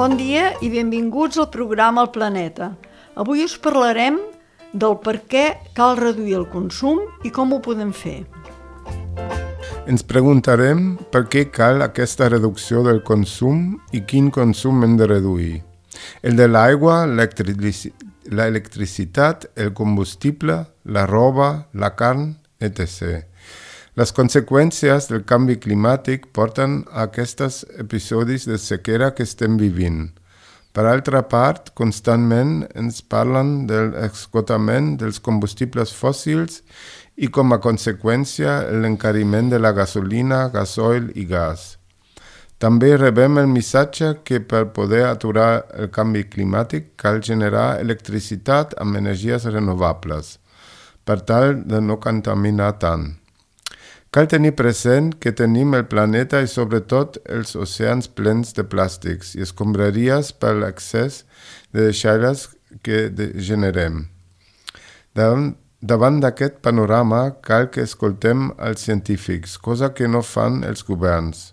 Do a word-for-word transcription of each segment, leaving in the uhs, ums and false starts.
Bon dia i benvinguts al programa El Planeta. Avui us parlarem del per què cal reduir el consum i com ho podem fer. Ens preguntarem per què cal aquesta reducció del consum i quin consum hem de reduir. El de l'aigua, l'electricitat, el combustible, la roba, la carn, etcètera. Les conseqüències del canvi climàtic porten a aquests episodis de sequera que estem vivint. Per altra part, constantment ens parlen de l'esgotament dels combustibles fòssils i com a conseqüència l'encariment de la gasolina, gasoil i gas. També rebem el missatge que per poder aturar el canvi climàtic cal generar electricitat amb energies renovables, per tal de no contaminar tant. Cal tenir present que tenim el planeta i sobretot els oceans plens de plàstics i escombraries per l'excés de deixalles que generem. Davant, davant d'aquest panorama cal que escoltem els científics, cosa que no fan els governs,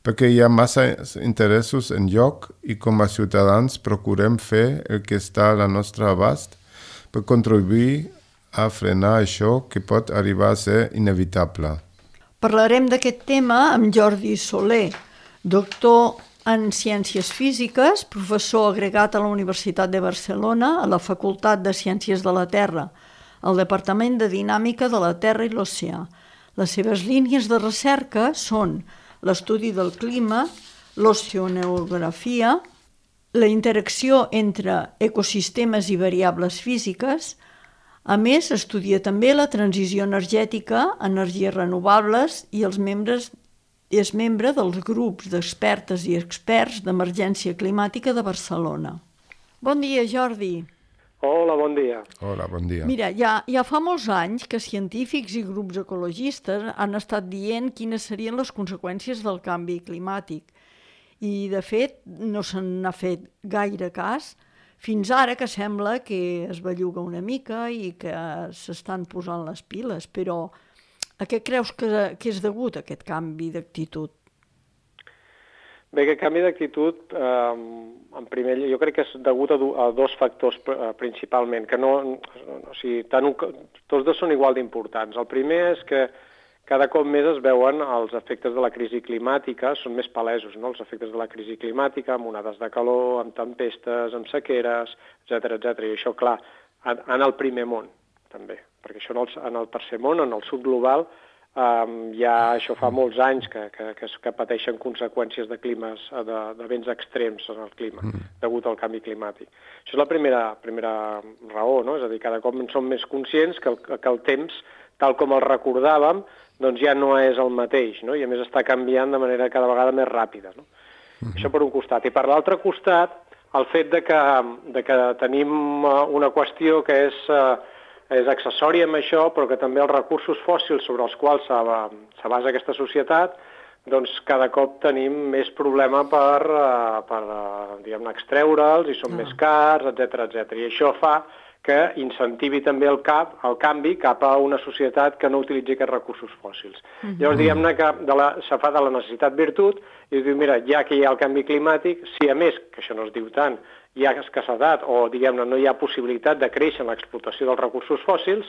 perquè hi ha massa interessos en joc i com a ciutadans procurem fer el que està a la nostra abast per contribuir a frenar això que pot arribar a ser inevitable. Parlarem d'aquest tema amb Jordi Soler, doctor en Ciències Físiques, professor agregat a la Universitat de Barcelona a la Facultat de Ciències de la Terra, al Departament de Dinàmica de la Terra i l'Oceà. Les seves línies de recerca són l'estudi del clima, l'oceanografia, la interacció entre ecosistemes i variables físiques. A més, estudia també la transició energètica, energies renovables i els membres, és membre dels grups d'expertes i experts d'emergència climàtica de Barcelona. Bon dia, Jordi. Hola, bon dia. Hola, bon dia. Mira, ja, ja fa molts anys que científics i grups ecologistes han estat dient quines serien les conseqüències del canvi climàtic. I, de fet, no se n'ha fet gaire cas, fins ara que sembla que es belluga una mica i que s'estan posant les piles, però a què creus que, que és degut aquest canvi d'actitud? Bé, aquest canvi d'actitud, eh, en primer lloc, jo crec que és degut a, do, a dos factors eh, principalment, que no, o sigui, tant un, tots dos són igual d'importants. El primer és que cada cop més es veuen els efectes de la crisi climàtica, són més palesos, no? Els efectes de la crisi climàtica, amb onades de calor, amb tempestes, amb sequeres, etcètera, etcètera. I això, clar, en el primer món, també, perquè això en el, en el tercer món, en el sud global, um, ja això fa molts anys que, que, que, que pateixen conseqüències de climes, de, de vents extrems en el clima, degut al canvi climàtic. Això és la primera, primera raó, no? És a dir, cada cop som més conscients que el, que el temps, tal com el recordàvem, doncs ja no és el mateix, no? I a més està canviant de manera cada vegada més ràpida, no? Uh-huh. Això per un costat. I per l'altre costat, el fet de que, de que tenim una qüestió que és, és accessòria amb això, però que també els recursos fòssils sobre els quals se basa aquesta societat, doncs cada cop tenim més problema per, per diguem-ne, extreure'ls i són uh-huh. més cars, etcètera, etcètera. I això fa que incentivi també el, cap, el canvi cap a una societat que no utilitzi aquests recursos fòssils. Uh-huh. Llavors, diguem-ne que de la, se fa de la necessitat virtut i es diu, mira, ja que hi ha el canvi climàtic, si a més, que això no es diu tant, hi ha escassedat o, diguem-ne, no hi ha possibilitat de créixer en l'explotació dels recursos fòssils,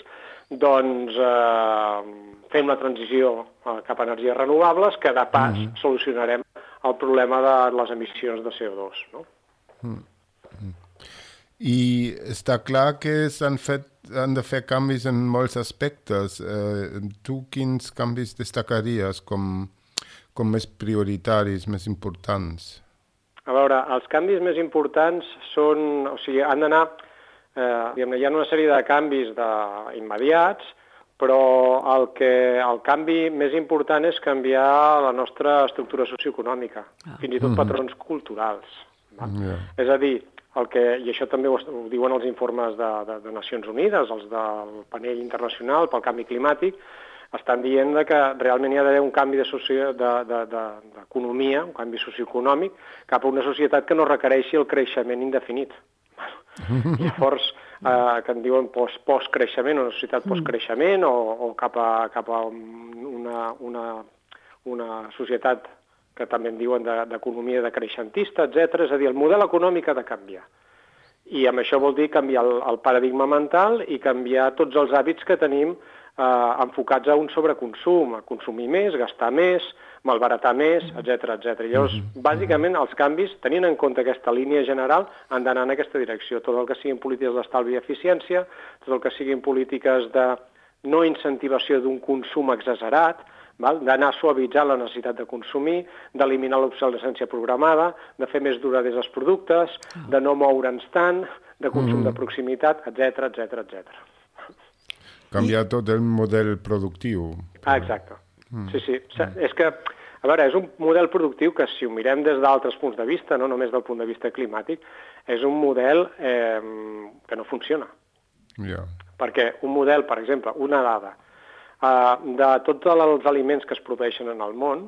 doncs eh, fem la transició eh, cap a energies renovables, que de pas uh-huh. solucionarem el problema de les emissions de C O dos, no? Uh-huh. I està clar que s'han fet, han de fer canvis en molts aspectes. Eh, tu quins canvis destacaries com, com més prioritaris, més importants? A veure, els canvis més importants són, o sigui, han d'anar, eh, diguem-ne, hi ha una sèrie de canvis de, immediats, però el, que, el canvi més important és canviar la nostra estructura socioeconòmica, ah. fins i tot mm-hmm. patrons culturals. Va? Yeah. És a dir, el que, i això també ho, ho diuen els informes de, de, de Nacions Unides, els del panell internacional pel canvi climàtic, estan dient que realment hi ha d'haver un canvi d'economia, de, de, de, de, un canvi socioeconòmic, cap a una societat que no requereixi el creixement indefinit. Llavors, eh, que en diuen post, post-creixement, una societat post-creixement, o, o cap a, cap a una, una, una societat que també en diuen d'economia decreixentista, etcètera. És a dir, el model econòmic ha de canviar. I amb això vol dir canviar el, el paradigma mental i canviar tots els hàbits que tenim eh, enfocats a un sobreconsum, a consumir més, gastar més, malbaratar més, etcètera, etcètera. Llavors, bàsicament, els canvis, tenint en compte aquesta línia general, han d'anar en aquesta direcció. Tot el que siguin polítiques d'estalvi i eficiència, tot el que siguin polítiques de no incentivació d'un consum exagerat, d'anar suavitzant la necessitat de consumir, d'eliminar l'obsolescència programada, de fer més duraders els productes, de no moure'ns tant, de consum mm. de proximitat, etcètera, etcètera, etcètera. Canviar I... tot el model productiu. Ah, exacte. Mm. Sí, sí. Mm. És que, a veure, és un model productiu que, si ho mirem des d'altres punts de vista, no només del punt de vista climàtic, és un model eh, que no funciona. Yeah. Perquè un model, per exemple, una dada, Uh, de tots els aliments que es produeixen en el món,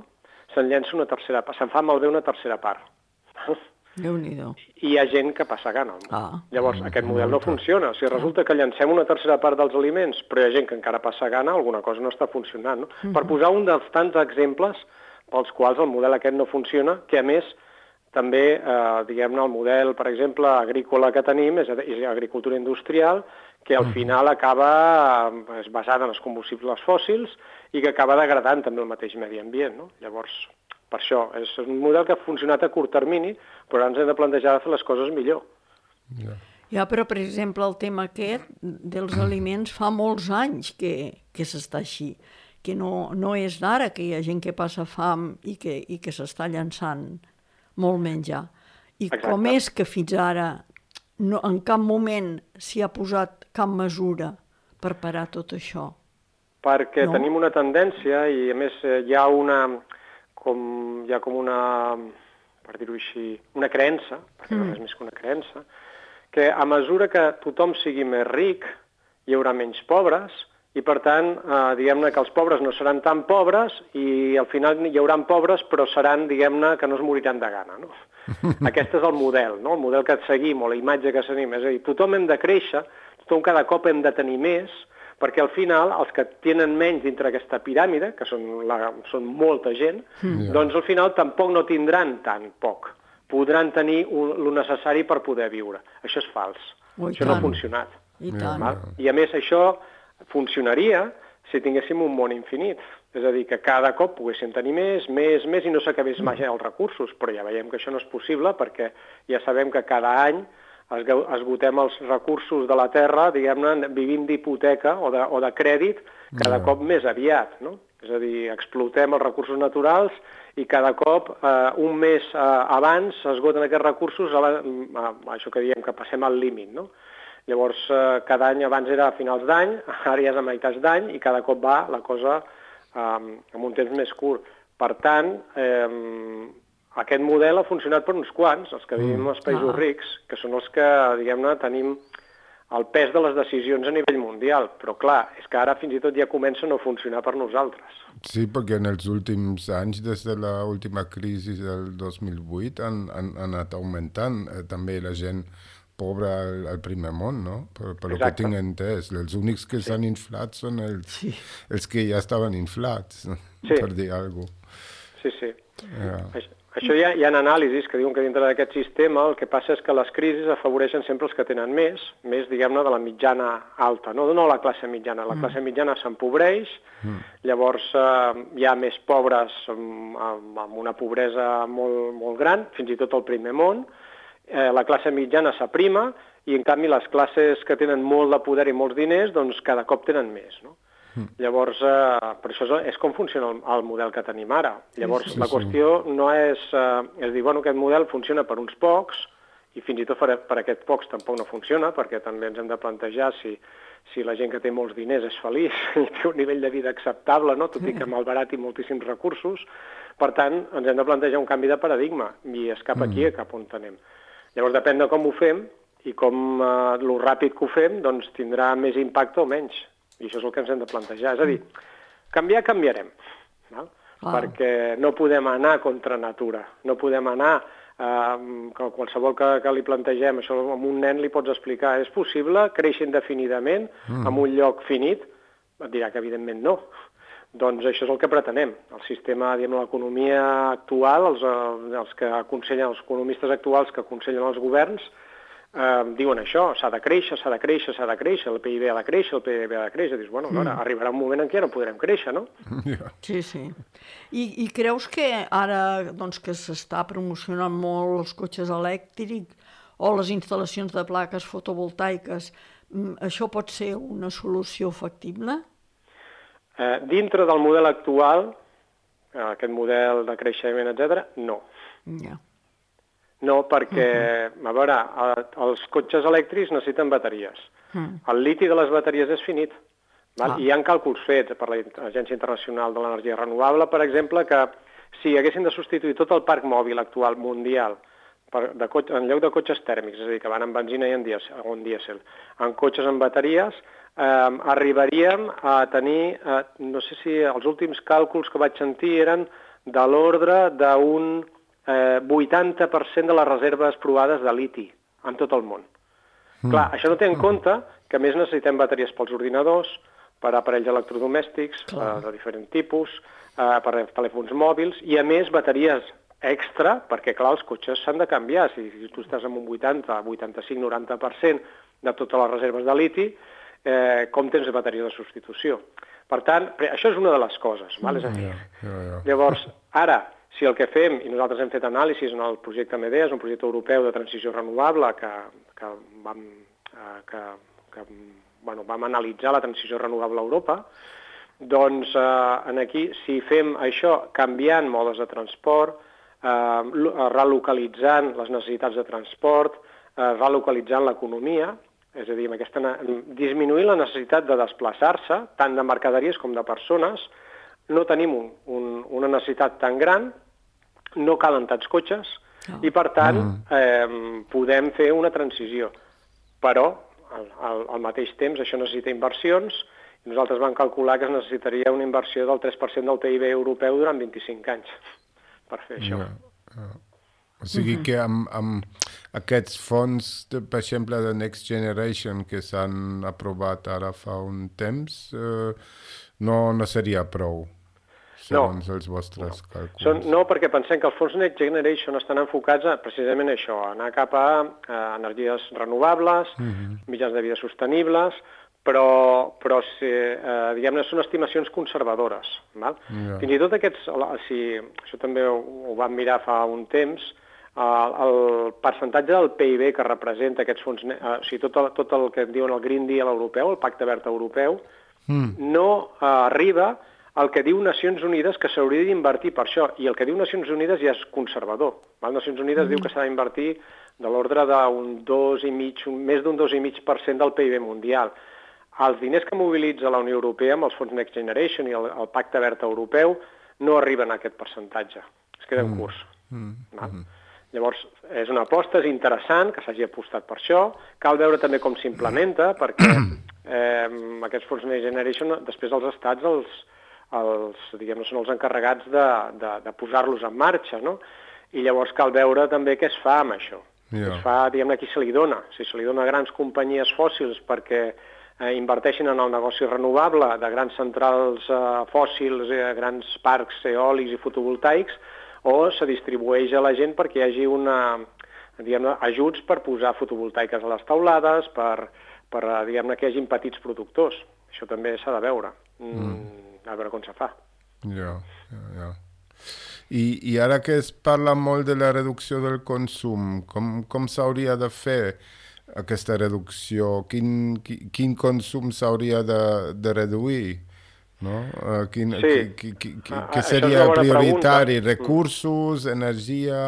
se'n llença una tercera part, se'n fa malbé una tercera part. Déu-n'hi-do. I hi ha gent que passa gana. Ah. Llavors, aquest model no funciona. Si resulta que llancem una tercera part dels aliments, però hi ha gent que encara passa gana, alguna cosa no està funcionant. No? Uh-huh. Per posar un dels tants exemples pels quals el model aquest no funciona, que a més també, eh, diguem-ne, el model, per exemple, agrícola que tenim, és, és agricultura industrial, que al final acaba és basada en els combustibles fòssils i que acaba degradant també el mateix medi ambient. No? Llavors, per això, és un model que ha funcionat a curt termini, però ara ens hem de plantejar de fer les coses millor. Ja, ja però, per exemple, el tema aquest dels aliments fa molts anys que, que s'està així, que no, no és d'ara, que hi ha gent que passa fam i que, i que s'està llançant molt menjar. I Exacte. Com és que fins ara no, en cap moment s'hi ha posat cap mesura per parar tot això? Perquè no? tenim una tendència i, a més, hi ha una, com, hi ha com una, per dir-ho així, una creença, perquè mm. no és més que una creença, que a mesura que tothom sigui més ric, hi haurà menys pobres, i per tant, eh, diguem-ne que els pobres no seran tan pobres i al final hi haurà pobres, però seran, diguem-ne, que no es moriran de gana, no? Aquest és el model, no? El model que seguim o la imatge que seguim. És a dir, tothom hem de créixer, tothom cada cop hem de tenir més, perquè al final els que tenen menys dintre aquesta piràmide, que són, la, són molta gent, mm. doncs al final tampoc no tindran tan poc. Podran tenir el necessari per poder viure. Això és fals. Oh, això tant. no ha funcionat. I tant. I a més això funcionaria si tinguéssim un món infinit. És a dir, que cada cop poguéssim tenir més, més, més, i no s'acabés mai els recursos, però ja veiem que això no és possible perquè ja sabem que cada any esgotem els recursos de la Terra, diguem-ne, vivint d'hipoteca o, de, o de crèdit cada no. cop més aviat, no? És a dir, explotem els recursos naturals i cada cop, eh, un mes eh, abans, s'esgoten aquests recursos, a la, a, això que diem que passem al límit, no? Llavors, eh, cada any abans era a finals d'any, ara ja és a meitats d'any i cada cop va la cosa eh, amb un temps més curt. Per tant, eh, aquest model ha funcionat per uns quants, els que vivim als països ah. rics, que són els que, diguem-ne, tenim el pes de les decisions a nivell mundial. Però, clar, és que ara fins i tot ja comença a no funcionar per nosaltres. Sí, perquè en els últims anys, des de l'última crisi del dos mil vuit, han, han, han anat augmentant eh, també la gent pobra al, al primer món, no? Per, per el que tinc entès. Els únics que s'han sí. inflat són els, sí. els que ja estaven inflats, sí. per dir alguna cosa. Sí, sí. Yeah. Això, això hi ha, hi ha anàlisis que diuen que dintre d'aquest sistema el que passa és que les crisis afavoreixen sempre els que tenen més, més, diguem-ne, de la mitjana alta, no, no la classe mitjana. La mm. classe mitjana s'empobreix, mm. llavors eh, hi ha més pobres amb, amb una pobresa molt, molt gran, fins i tot al primer món. Eh, la classe mitjana s'aprima i, en canvi, les classes que tenen molt de poder i molts diners, doncs cada cop tenen més, no? Mm. Llavors, eh, per això és, és com funciona el, el model que tenim ara. Llavors, sí, sí, la qüestió sí. no és, eh, és dir, bueno, aquest model funciona per uns pocs i fins i tot per, per aquests pocs tampoc no funciona, perquè també ens hem de plantejar si, si la gent que té molts diners és feliç i té un nivell de vida acceptable, no? Tot i que malbarati moltíssims recursos. Per tant, ens hem de plantejar un canvi de paradigma i és cap aquí, mm. cap on anem. Llavors, depèn de com ho fem i com eh, lo ràpid que ho fem, doncs tindrà més impacte o menys. I això és el que ens hem de plantejar. És a dir, canviar, canviarem. Val? Ah. Perquè no podem anar contra natura. No podem anar, eh, qualsevol que, que li plantegem, això a un nen li pots explicar, és possible créixer indefinidament mm. en un lloc finit? Et dirà que evidentment no. Doncs això és el que pretenem. El sistema, diguem, l'economia actual, els, els que aconsellen, els economistes actuals que aconsellen els governs, eh, diuen això, s'ha de créixer, s'ha de créixer, s'ha de créixer, el P I B ha de créixer, el P I B ha de créixer. Dius, bueno, mm. arribarà un moment en què no podrem créixer, no? Yeah. Sí, sí. I, I creus que ara, doncs, que s'està promocionant molt els cotxes elèctrics o les instal·lacions de plaques fotovoltaiques, això pot ser una solució factible? Eh, dintre del model actual, eh, aquest model de creixement, etcètera, no. Ja. No, perquè, uh-huh. a veure, els cotxes elèctrics necessiten bateries. Uh-huh. El liti de les bateries és finit. Val? Ah. I hi ha càlculs fets per l'Agència Internacional de l'Energia Renovable, per exemple, que si haguessin de substituir tot el parc mòbil actual mundial per, de cotxe, en lloc de cotxes tèrmics, és a dir, que van amb benzina i en dièsel, en, dièsel, en cotxes amb bateries, eh, arribaríem a tenir, eh, no sé si els últims càlculs que vaig sentir eren de l'ordre d'un eh, vuitanta per cent de les reserves provades de liti en tot el món. Mm. Clar, això no té en compte que a més necessitem bateries pels ordinadors, per aparells electrodomèstics eh, de diferents tipus, eh, per telèfons mòbils, i a més bateries extra, perquè clar, els cotxes s'han de canviar. Si, si tu estàs amb un vuitanta, vuitanta-cinc, noranta per cent de totes les reserves de liti, eh, com tens bateria de substitució? Per tant, això és una de les coses. Val? És a dir, yeah, yeah, yeah. Llavors, ara, si el que fem, i nosaltres hem fet anàlisis en el projecte MEDEA, és un projecte europeu de transició renovable que, que, vam, eh, que, que bueno, vam analitzar la transició renovable a Europa, doncs eh, aquí, si fem això canviant modes de transport, eh, relocalitzant les necessitats de transport, eh, relocalitzant l'economia, és a dir, amb aquesta, disminuir la necessitat de desplaçar-se, tant de mercaderies com de persones, no tenim un, un, una necessitat tan gran, no calen tants cotxes, oh. i per tant eh, podem fer una transició. Però, al, al, al mateix temps, això necessita inversions, i nosaltres vam calcular que es necessitaria una inversió del tres per cent del P I B europeu durant vint-i-cinc anys per fer això. Yeah, yeah. O sigui que amb, amb aquests fons, de, per exemple, de Next Generation que s'han aprovat ara fa un temps, eh, no, no seria prou, segons no, els vostres no. càlculs. Són, no, perquè pensem que els fons Next Generation estan enfocats a, precisament a això, a anar cap a, a energies renovables, uh-huh. mitjans de vida sostenibles, però, però si, eh, diguem-ne, són estimacions conservadores. Val? Yeah. Fins i tot aquests, si, això també ho, ho vam mirar fa un temps, el, el percentatge del P I B que representa aquests fons, eh, o sigui, tot el, tot el que diuen el Green Deal europeu, el Pacte Verd europeu, mm. no eh, arriba al que diu Nacions Unides que s'hauria d'invertir per això, i el que diu Nacions Unides ja és conservador. Val? Nacions Unides mm. diu que s'ha d'invertir de l'ordre d'un dos i mig, més d'un dos i mig per cent del P I B mundial. Els diners que mobilitza la Unió Europea amb els fons Next Generation i el, el Pacte Verd europeu no arriben a aquest percentatge, es queda en curs. Mm. Mm. Llavors, és una aposta, és interessant que s'hagi apostat per això, cal veure també com s'implementa, perquè eh, aquests fons Next Generation, després els estats, els, els, diguem, són els encarregats de, de, de posar-los en marxa, no? I llavors cal veure també què es fa amb això. Yeah. Es fa, diguem-ne, a qui se li dona. Si se li dona a grans companyies fòssils perquè eh, inverteixin en el negoci renovable de grans centrals eh, fòssils, eh, grans parcs eòlics i fotovoltaics, o se distribueix a la gent perquè hi hagi una, diguem-ne, ajuts per posar fotovoltaiques a les taulades, per, per diguem-ne, que hi hagin petits productors. Això també s'ha de veure, mm. a veure com se fa. Ja, ja, ja. I, I ara que es parla molt de la reducció del consum, com, com s'hauria de fer aquesta reducció? Quin, quin, quin consum s'hauria de, de reduir? No? Uh, quin, sí. qui, qui, qui, ah, què seria prioritari? Pregunta. Recursos, energia...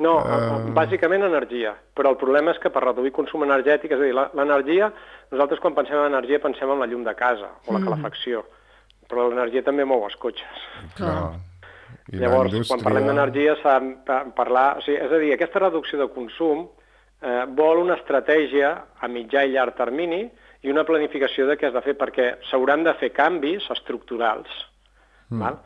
No, uh... bàsicament energia, però el problema és que per reduir consum energètic, és a dir, l'energia, nosaltres quan pensem en energia pensem en la llum de casa o la calefacció, mm. però l'energia també mou els cotxes. Clar. I llavors, quan parlem d'energia s'ha de parlar... O sigui, és a dir, aquesta reducció de consum eh, vol una estratègia a mitjà i llarg termini i una planificació de què has de fer, perquè s'hauran de fer canvis estructurals, mm. val?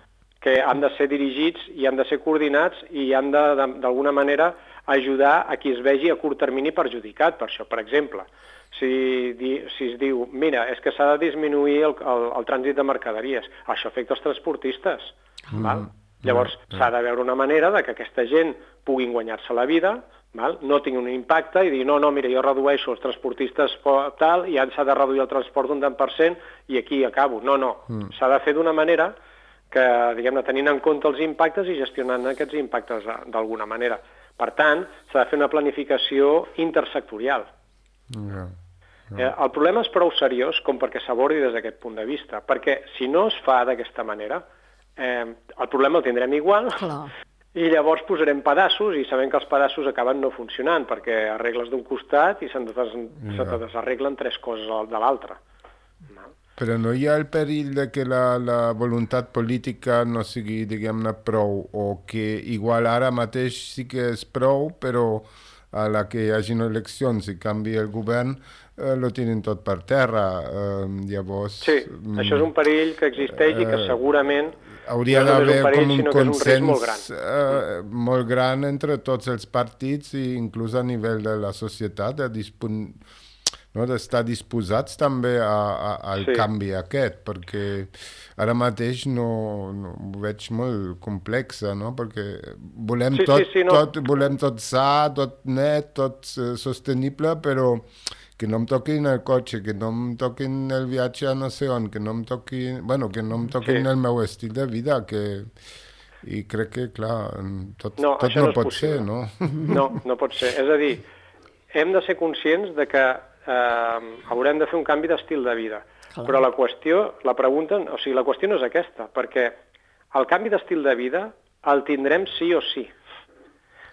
Que han de ser dirigits i han de ser coordinats i han de, d'alguna manera, ajudar a qui es vegi a curt termini perjudicat per això. Per exemple, si, di, si es diu, mira, és que s'ha de disminuir el, el, el trànsit de mercaderies, això afecta els transportistes, mm. val? Llavors mm. s'ha de veure una manera de que aquesta gent puguin guanyar-se la vida, val? No tingui un impacte i dir, no, no, mira, jo redueixo els transportistes tal i ja s'ha de reduir el transport un tant per cent i aquí acabo. No, no, mm. s'ha de fer d'una manera que, diguem-ne, tenint en compte els impactes i gestionant aquests impactes d'alguna manera. Per tant, s'ha de fer una planificació intersectorial. Yeah. Yeah. Eh, el problema és prou seriós com perquè s'abordi des d'aquest punt de vista, perquè si no es fa d'aquesta manera, eh, el problema el tindrem igual, clar. I llavors posarem pedaços i sabem que els pedaços acaben no funcionant perquè arregles d'un costat i se'n des yeah. se desarreglen tres coses de l'altre. No? Però no hi ha el perill de que la, la voluntat política no sigui, diguem-ne, prou, o que igual ara mateix sí que és prou, però a la que hi hagin eleccions i canvi el govern, eh, lo tenen tot per terra. Eh, llavors... Sí, mm, això és un perill que existeix eh, i que segurament hauria no d'haver un com un consens un molt, gran. Eh, molt gran entre tots els partits i inclús a nivell de la societat, de dispon... no, d'estar disposats també a, a, al sí. canvi aquest, perquè ara mateix no, no ho veig molt complexa, no? Perquè volem, sí, tot, sí, sí, no. tot, volem tot sa, tot net, tot uh, sostenible, però que no em toquin el cotxe, que no em toquin el viatge a no sé on, que no em toquin, bueno, que no em toquin sí. el meu estil de vida, que... I crec que, clar, tot no, tot no, no pot possible. ser, no? No, no pot ser. És a dir, hem de ser conscients de que eh, haurem de fer un canvi d'estil de vida. Clar. Però la qüestió, la pregunta, o sigui, la qüestió no és aquesta, perquè el canvi d'estil de vida el tindrem sí o sí.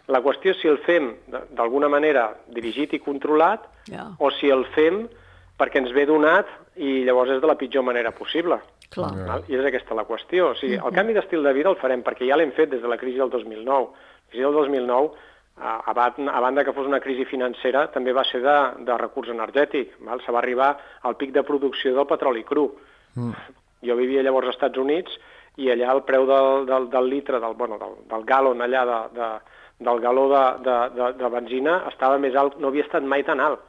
La qüestió és si el fem d'alguna manera dirigit i controlat yeah. o si el fem perquè ens ve donat i llavors és de la pitjor manera possible. Clar. Yeah. I és aquesta la qüestió. O sigui, el canvi d'estil de vida el farem perquè ja l'hem fet des de la crisi del dos mil nou. La crisi del dos mil nou, a banda que fos una crisi financera, també va ser de, de recurs energètic. Val? Se va arribar al pic de producció del petroli cru. Mm. Jo vivia llavors als Estats Units i allà el preu del, del, del litre, del, bueno, del, del gallon allà de, de del galó de, de, de, de benzina estava més alt, no havia estat mai tan alt.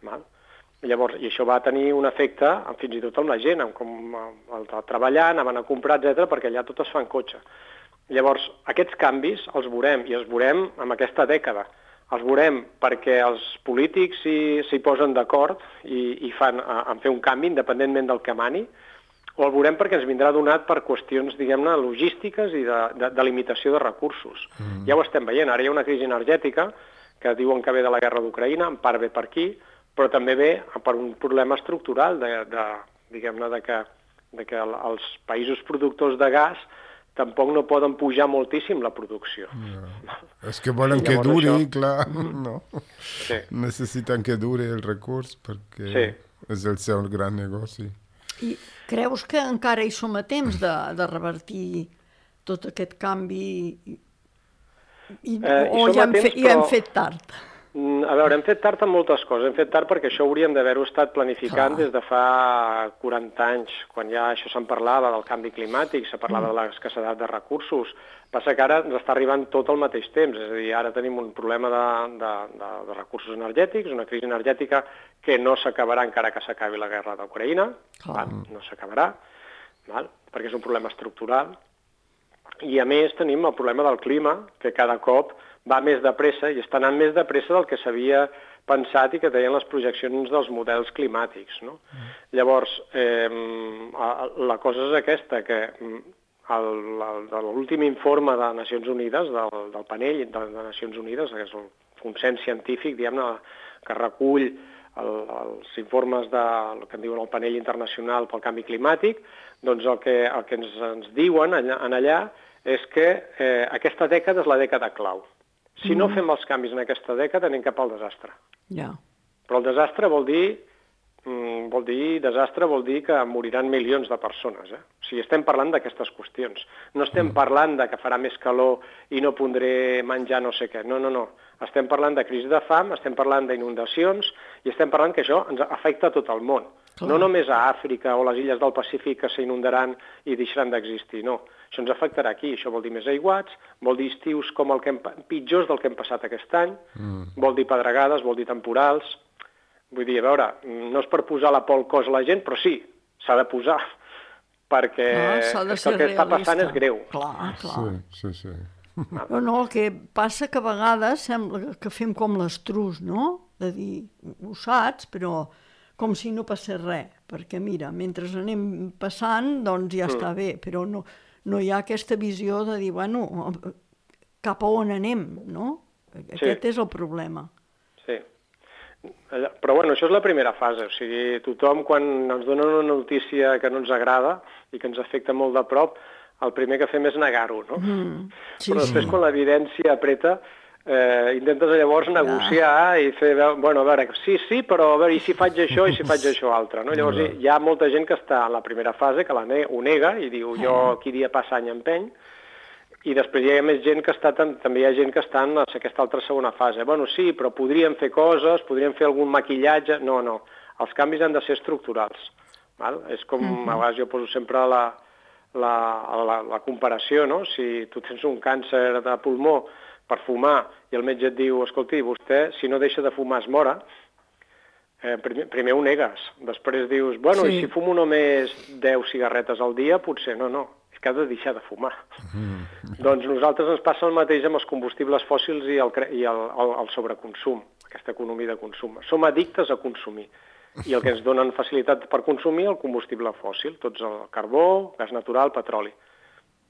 Val? Llavors, i això va tenir un efecte fins i tot amb la gent, amb com el de treballar, anaven a comprar, etcètera, perquè allà tot es fa en cotxe. Llavors, aquests canvis els veurem, i els veurem en aquesta dècada. Els veurem perquè els polítics s'hi posen d'acord i, i fan en fer un canvi independentment del que mani, o el veurem perquè ens vindrà donat per qüestions, diguem-ne, logístiques i de, de, de limitació de recursos. Mm. Ja ho estem veient, ara hi ha una crisi energètica que diuen que ve de la guerra d'Ucraïna, en part ve per aquí, però també ve per un problema estructural de, de diguem-ne, de que, de que els països productors de gas tampoc no poden pujar moltíssim la producció. No. És que volen que duri, això... clar, no. Sí. Necessiten que duri el recurs perquè sí. és el seu gran negoci. I creus que encara hi som a temps de, de revertir tot aquest canvi i, i, eh, o ja hem, temps, fe, ja hem fet tard? A veure, hem fet tard en moltes coses. Hem fet tard perquè això hauríem d'haver-ho estat planificant Clar. des de fa quaranta anys, quan ja això se'n parlava del canvi climàtic, se parlava mm. de l'escassedat de recursos. Passa que ara ens està arribant tot al mateix temps, és a dir, ara tenim un problema de, de, de, de recursos energètics, una crisi energètica que no s'acabarà encara que s'acabi la guerra d'Ucraïna, no s'acabarà, perquè és un problema estructural. I a més tenim el problema del clima, que cada cop va més de pressa i està anant més de pressa del que s'havia pensat i que deien les projeccions dels models climàtics. No? Mm. Llavors, eh, la cosa és aquesta, que l'últim informe de Nacions Unides, del, del panell de, de Nacions Unides, que és el consens científic, diguem-ne, que recull el, els informes de, el que en diuen el panell internacional pel canvi climàtic, doncs el que, el que ens, ens diuen allà, en allà és que eh, aquesta dècada és la dècada clau. Si mm. no fem els canvis en aquesta dècada, anem cap al desastre. Yeah. Però el desastre vol dir, mm, vol dir, desastre vol dir que moriran milions de persones. Eh? O sigui, estem parlant d'aquestes qüestions. No estem mm. parlant de que farà més calor i no pondré menjar no sé què. No, no, no. Estem parlant de crisi de fam, estem parlant d'inundacions i estem parlant que això ens afecta a tot el món. Clar. No només a Àfrica o les illes del Pacífic que s'inundaran i deixaran d'existir, no. Això ens afectarà aquí, això vol dir més aiguats, vol dir estius com el que hem, pitjors del que hem passat aquest any, mm. vol dir pedregades, vol dir temporals. Vull dir, a veure, no és per posar la por al cos a la gent, però sí, s'ha de posar, perquè ah, és que el que realista. està passant és greu. Clar, clar. Sí, sí, sí. No, no, el que passa que a vegades sembla que fem com l'estrus, no? De dir, ho saps, però com si no passés res, perquè mira, mentre anem passant, doncs ja mm. està bé, però no... no hi ha aquesta visió de dir, bueno, cap a on anem, no? Aquest sí. és el problema. Sí. Però, bueno, això és la primera fase. O sigui, tothom, quan ens dona una notícia que no ens agrada i que ens afecta molt de prop, el primer que fem és negar-ho, no? Mm. Sí, Però després, sí. quan l'evidència apreta, eh, intentes llavors negociar ja. i fer, bueno, a veure, sí, sí, però a veure, i si faig això, i si faig això altre, no? Llavors ja. hi ha molta gent que està en la primera fase, que la ne ho nega, i diu, jo aquí dia passa any empeny, i després hi ha més gent que està, també hi ha gent que està en aquesta altra segona fase. Bueno, sí, però podríem fer coses, podríem fer algun maquillatge... No, no, els canvis han de ser estructurals. Val? És com, mm-hmm. a vegades jo poso sempre la, la, la, la comparació, no? Si tu tens un càncer de pulmó per fumar, i el metge et diu, escolti, vostè, si no deixa de fumar es mora, eh, primer, primer ho negues. Després dius, bueno, sí. i si fumo només deu cigarretes al dia, potser no, no, és que ha de deixar de fumar. Mm. Doncs nosaltres ens passa el mateix amb els combustibles fòssils i el, i el, el, el sobreconsum, aquesta economia de consum. Som addictes a consumir, i el que ens donen facilitat per consumir el combustible fòssil, tots el carbó, gas natural, petroli.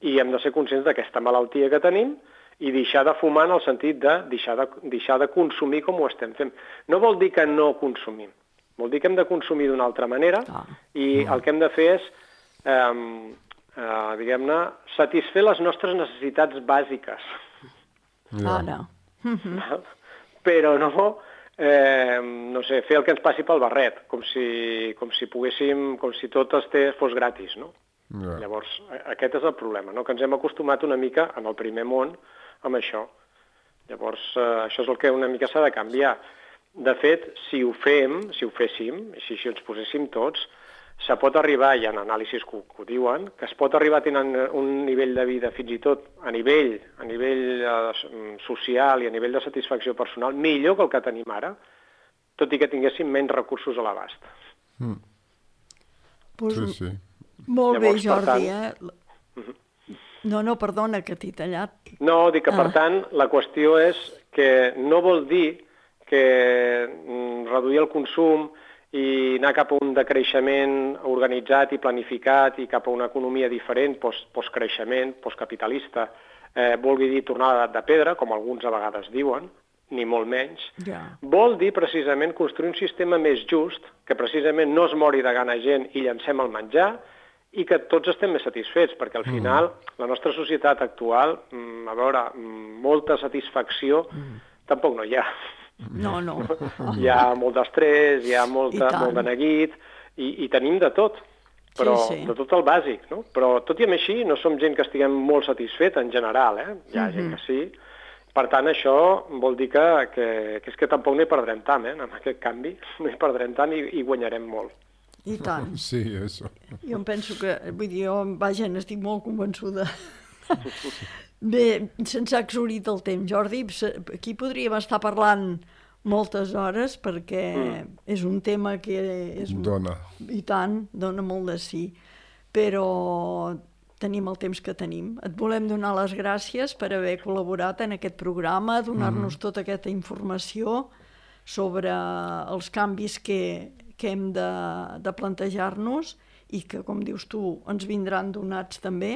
I hem de ser conscients d'aquesta malaltia que tenim, i deixar de fumar en el sentit de deixar, de deixar de consumir com ho estem fent. No vol dir que no consumim, vol dir que hem de consumir d'una altra manera ah. i el que hem de fer és, eh, eh, diguem-ne, satisfer les nostres necessitats bàsiques. Ah, no. Però no, eh, no sé, fer el que ens passi pel barret, com si, com si poguéssim, com si tot este fos gratis, no? Yeah. Llavors, aquest és el problema, no? Que ens hem acostumat una mica en el primer món amb això. Llavors, eh, això és el que una mica s'ha de canviar. De fet, si ho fem, si ho féssim, si, si ens poséssim tots, se pot arribar, hi ha anàlisis que, que ho diuen, que es pot arribar tenint un nivell de vida fins i tot a nivell, a nivell eh, social i a nivell de satisfacció personal millor que el que tenim ara, tot i que tinguéssim menys recursos a l'abast. Mm. Pues, sí, sí. Molt Llavors, bé, Jordi, tant, eh? No, no, perdona, que t'he tallat. No, dic que, per ah. tant, la qüestió és que no vol dir que reduir el consum i anar cap a un decreixement organitzat i planificat i cap a una economia diferent, post, postcreixement, postcapitalista, eh, vulgui dir tornar a l'edat de pedra, com alguns a vegades diuen, ni molt menys. Yeah. Vol dir precisament construir un sistema més just, que precisament no es mori de gana gent i llancem el menjar, i que tots estem més satisfets, perquè al final mm. la nostra societat actual, a veure, molta satisfacció mm. tampoc no hi ha. No, no. Hi ha molt d'estrès, hi ha molta, molt de neguit, i, i tenim de tot, però sí, sí. de tot el bàsic, no? Però tot i amb així no som gent que estiguem molt satisfet en general, eh? Hi ha mm-hmm. gent que sí. Per tant, això vol dir que, que, que és que tampoc no hi perdrem tant, eh? En aquest canvi no hi perdrem tant i, i guanyarem molt. I tant. Sí, això. Jo em penso que, vull dir, jo, vaja, n'estic molt convençuda. Bé, se'ns ha exhaurit el temps, Jordi. Aquí podríem estar parlant moltes hores perquè mm. és un tema que és... Dona. I tant, dona molt de sí. Però tenim el temps que tenim. Et volem donar les gràcies per haver col·laborat en aquest programa, donar-nos mm. tota aquesta informació sobre els canvis que... que hem de, de plantejar-nos i que, com dius tu, ens vindran donats també.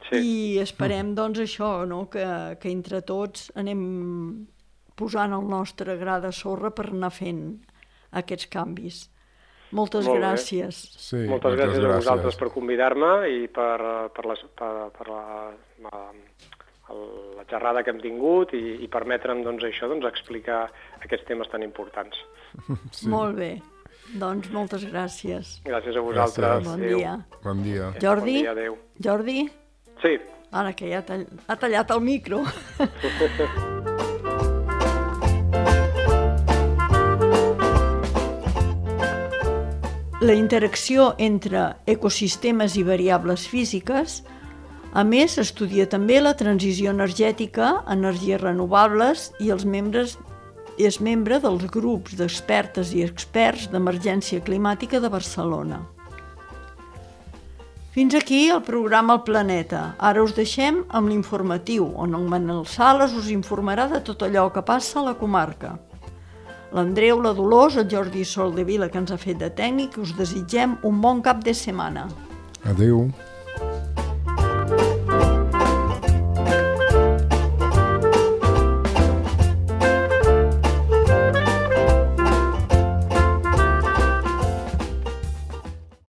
Sí. I esperem, doncs, això, no? que, que entre tots anem posant el nostre gra de sorra per anar fent aquests canvis. Moltes Molt gràcies. Sí, moltes, moltes gràcies, gràcies a vosaltres per convidar-me i per, per, les, per, per la, la, la xerrada que hem tingut i, i permetre'm doncs, això, doncs, explicar aquests temes tan importants. Sí. Molt bé. Doncs moltes gràcies. Gràcies a vosaltres. Gràcies. Bon adéu. dia. Bon dia. Jordi? Bon dia, adéu. Jordi? Sí. Ara que ja tall... ha tallat el micro. la interacció entre ecosistemes i variables físiques. A més, estudia també la transició energètica, energies renovables i els membres, és membre dels grups d'expertes i experts d'emergència climàtica de Barcelona. Fins aquí el programa El Planeta. Ara us deixem amb l'informatiu, on el Manel Sales us informarà de tot allò que passa a la comarca. L'Andreu, la Dolors, el Jordi Soldevila, que ens ha fet de tècnic, us desitgem un bon cap de setmana. Adéu.